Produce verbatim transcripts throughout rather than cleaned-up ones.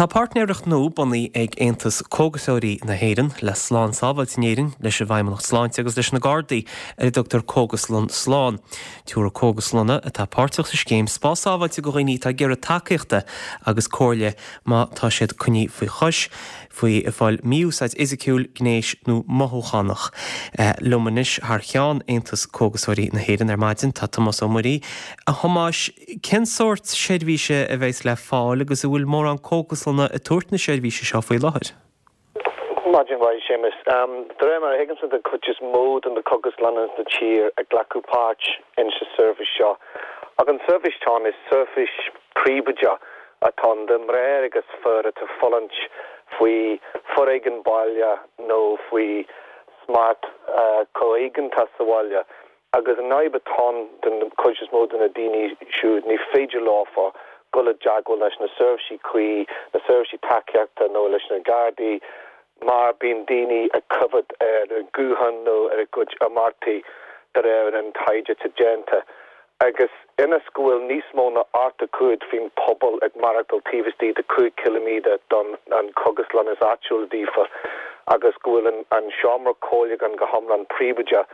Tá páirtnéireacht nua bunaithe ag Aontas Cógaiseoirí na hÉireann le Slán Sábháilte in Éirinn leis an bhFeidhmeannacht Sláinte agus leis na Gardaí ar a dtugtar Cógaslann Slán. Tabharfaidh cógaslanna atá páirteach sa scéim spás sábháilte do dhaoine atá ag iarraidh tacaíochta agus comhairle má tá siad coinnithe faoi chois faoi fáil mí-úsáid fhisiciúil, gnéis nó mothúchánach. Eh, liom anois thar cheann Aontas Cógaiseoirí na hÉireann ar maidin tá Tomás Ó Muirí. A Thomáis cén sórt seirbhíse a bheas le fáil agus an bhfuil mórán cógaslanna ag tabhairt na seirbhíse seo faoi láthair. Maidin mhaith Séamus. Um, de réir mar a thuigimse den chuid is mó de na cógaslanna sa tír ag glacadh páirt in sa seirbhís seo. Ach an seirbhís atá ann is seirbhís príobháideach atá ann do mhná agus fir atá fulaingt faoi foréigean baile nó faoi smacht uh, comhéigeantach sa bhaile. Agus an fhadhb atá ann den chuid is mó de na daoine siúd ní féidir leofa dul i dteagmháil leis na seirbhísí cuí, na seirbhísí tacaíochta nó leis na Gardaí, mar bíonn daoine ag coimhéad ar a nguthán nó ar a gcuid imeachtaí de réir an taighde atá déanta. Agus ionas go bhfuil níos mó ná ochtó cúig faoin pobal ag maireachtáil taobh istigh de cúig ciliméadar don an cógaslann is áitiúil daofa, agus go bhfuil an, an seomra comhairliúcháin go hiomlán príobháideach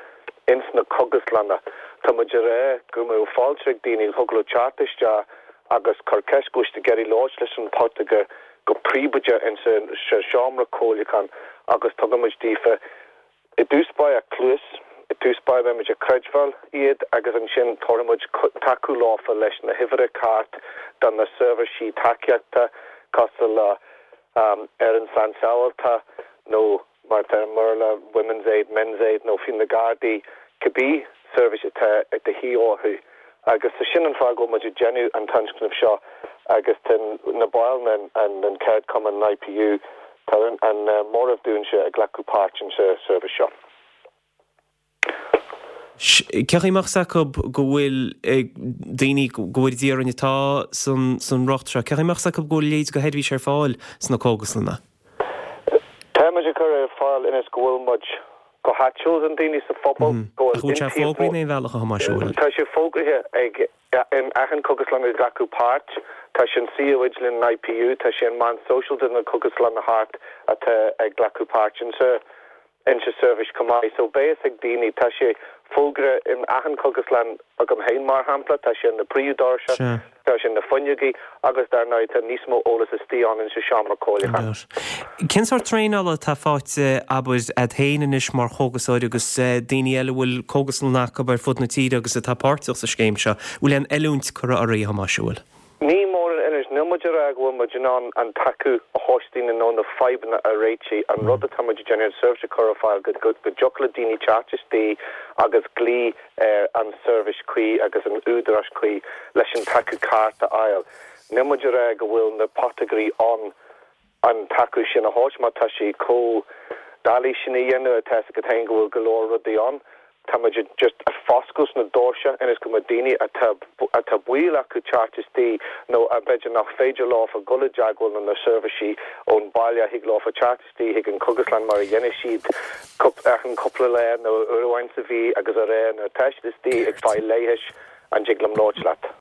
ins na cógaslanna. Tá muid ag rá go mbeadh fáilte ag daoine thug leo teacht isteach agus cur ceist go bhfuil ag iarraidh labhairt leis an potagar go príobháideach in sa seomra comhairliúcháin agus tugaimid daofa i dtús báire cluas, i dtús báire beimid ag creidbheáil iad agus ansin tabharfaimid tacú leofa leis na huimhreacha ceart do na seirbhísí tacaíochta cosúil le um, ar an Slán Sábháilte nó mar tá Merla Women's Aid, Men's Aid nó fiú na Gardaí cibé seirbhís atá ag de dhíth orthu. Agus sa sin an fáth go bhfuil muid ag déanamh an tionscnamh seo agus na baill an, an, an ceardchumann an IPU tá an, an uh, móramh dúinse ag glacadh páirt in sa seirbhís seo. Cé amach acu go bhfuil daoine go bhfuil díran atá san san riocht seo, Cé amach acu go bhfuil léid go sheirbhís ar fáil sna cógaslanna? Tá muid ag cur ar fáil ionas go bhfuil muid go háitiúil an daoine sa phobal go bhfuil sé fógraithe aon bhealach a Thomáis Tá sé fógraithe ag in achan cógaslann ag glacadh páirt, Tá sin suíomh idirlín an IPU, tá sé an meán sóisialta na cógaslanna thart atá ag glacadh páirt in sa in sa seirbhís chomh maith. So beidh ag daoine tá sé fógraithe in achan cógaslann agam féin mar shampla, tá sé na príomhdhoirse, tá sé na fuinneogaí agus dar ndóigh tá níos mó eolas istigh ann in sa seomra comhairliúcháin. Cén sórt traenála atá faighte abair agat féin anois mar chógasóir agus daoine eile bhfuil cógaslann acu ar fud na tíre agus atá páirteach sa scéim seo, bhfuil aon oiliúint curtha oraibh a Thomáis bhfuil. Ní mór an oiliúint níl muid ag rá go bhfuil muid in ann an tacú a thabhairt daoine nó na fadhbanna a réiteach an rud atá muid déanamh seirbhís chur ar fáil go dtiocfadh le daoine teacht istigh agus glaoch ar an seirbhís cuí agus an údarás cuí leis an tacú ceart a fháil. Níl muid ag rá go bhfuil na potagairí an an tacú sin a thabhairt má tá sé chomh doiligh sin a dhéanamh atá go go bhfuil go leor rudaí ann. Tá muid just ag foscailt na doirse ionas go mbeadh daoine atá atá baol acu teacht istigh nó a b'fhéidir nach féidir leofa dul i dteagmháil na seirbhísí ón baile thig leofa teacht istigh chuig an cógaslann mar a dhéanann siad achan cúpla lá nó uair amháin sa mhí agus a rá nuair tá siad istigh ag fáil leighis an dtig liom labhairt leat.